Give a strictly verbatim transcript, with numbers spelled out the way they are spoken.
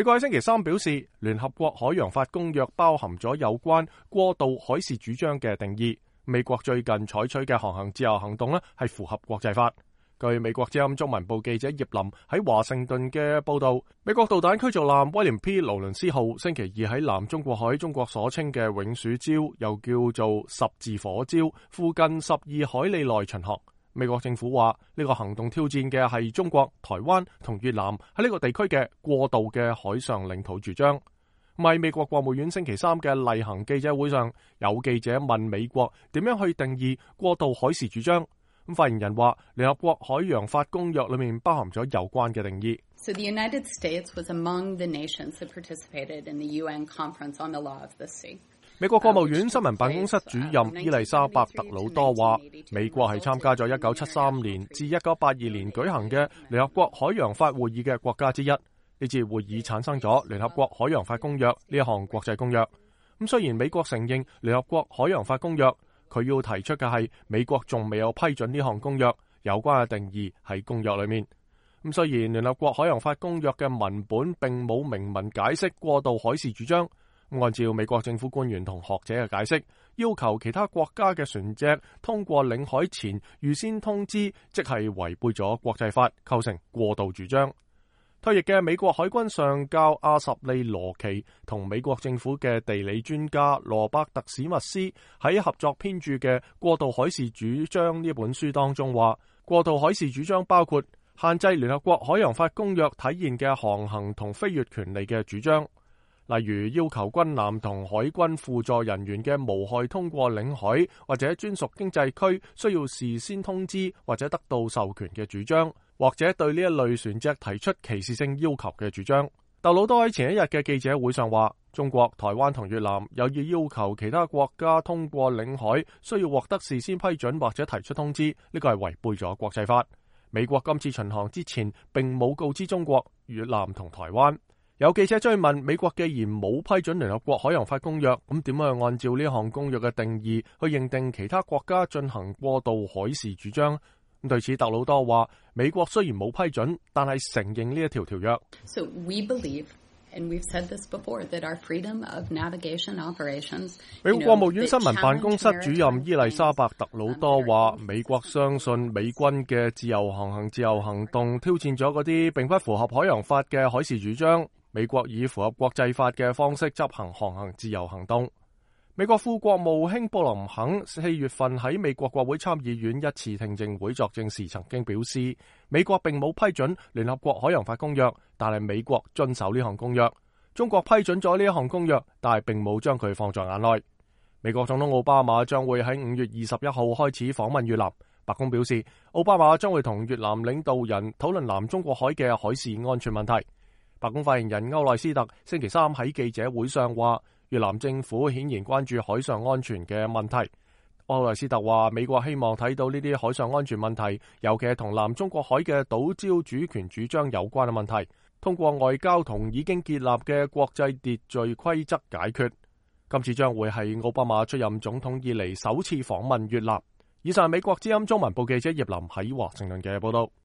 美國喺星期三表示，聯合國海洋法公約包含咗有關過渡海事主張嘅定義。美國最近採取嘅航行自由行動呢，係符合國際法。據美國之音中文部記者葉林喺華盛頓嘅報道，美國導彈驅逐艦威廉 P. 勞倫斯號星期二喺南中國海中國所稱嘅永暑礁，又叫做十字火礁附近十二海里內巡航。美國政府話呢個行動挑戰嘅係中國、台灣同越南喺呢個地區嘅過渡嘅海上領土主張。喺美國國務院星期三嘅例行記者會上，有記者問美國點樣去定義過渡海事主張。咁發言人話，聯合國海洋法公約裏面包含咗有關嘅定義。So the United States was among the nations that participated in the U N Conference on the Law of the Sea. 美國國務院新聞辦公室主任伊麗莎白特魯多話，美國係參加咗一九七三年至一九八二年舉行嘅聯合國海洋法會議嘅國家之一。呢次會議產生咗聯合國海洋法公約呢一項國際公約。咁雖然美國承認聯合國海洋法公約，佢要提出嘅係美國仲未有批准呢項公約，有關嘅定義喺公約裏面。咁雖然聯合國海洋法公約嘅文本並冇明文解釋過渡海事主張，按照美國政府官員同學者嘅解釋，要求其他國家嘅船隻通過領海前預先通知，即係違背咗國際法，構成過渡主張。退役嘅美國海軍上校阿什利羅奇同美國政府嘅地理專家羅伯特史密斯喺合作編著嘅《過渡海事主張》呢本書當中話，過渡海事主張包括限制聯合國海洋法公約體現嘅航行同飛越權利嘅主張，例如要求軍艦同海軍輔助人員嘅無害通過領海或者專屬經濟區需要事先通知或者得到授權嘅主張，或者對呢一類船隻提出歧視性要求嘅主張。特魯多喺前一日嘅記者會上話，中國、台灣同越南有意要求其他國家通過領海需要獲得事先批准或者提出通知，呢個係違背咗國際法。美國今次巡航之前並冇告知中國、越南同台灣。有記者追問，美國既然冇批准聯合國海洋法公約，咁點樣按照呢項公約嘅定義去認定其他國家進行過渡海事主張？咁對此，特魯多話，美國雖然冇批准，但係承認呢一條條約。So we believe, and we've said this before, that our freedom of navigation operations. 美國國務院新聞辦公室主任伊麗莎白特魯多話，美國相信美軍嘅自由航行自由行動挑戰咗嗰啲並不符合海洋法嘅海事主張。美國以符合國際法嘅方式執行航行自由行動。美國副國務卿布林肯四月份喺美國國會參議院一次聽證會作證時曾經表示，美國並冇批准聯合國海洋法公約，但係美國遵守呢項公約。中國批准咗呢一項公約，但係並冇將佢放在眼內。美國總統奧巴馬將會喺五月二十一號開始訪問越南。白宮表示，奧巴馬將會同越南領導人討論南中國海嘅海事安全問題。白宮發言人歐萊斯特星期三喺記者會上話，越南政府顯然關注海上安全嘅問題。歐萊斯特話，美國希望睇到呢啲海上安全問題，尤其係同南中國海嘅島礁主權主張有關嘅問題，通過外交同已經建立嘅國際秩序規則解決。今次將會係奧巴馬出任總統以嚟首次訪問越南。以上係美國之音中文部記者葉林喺華盛頓嘅報道。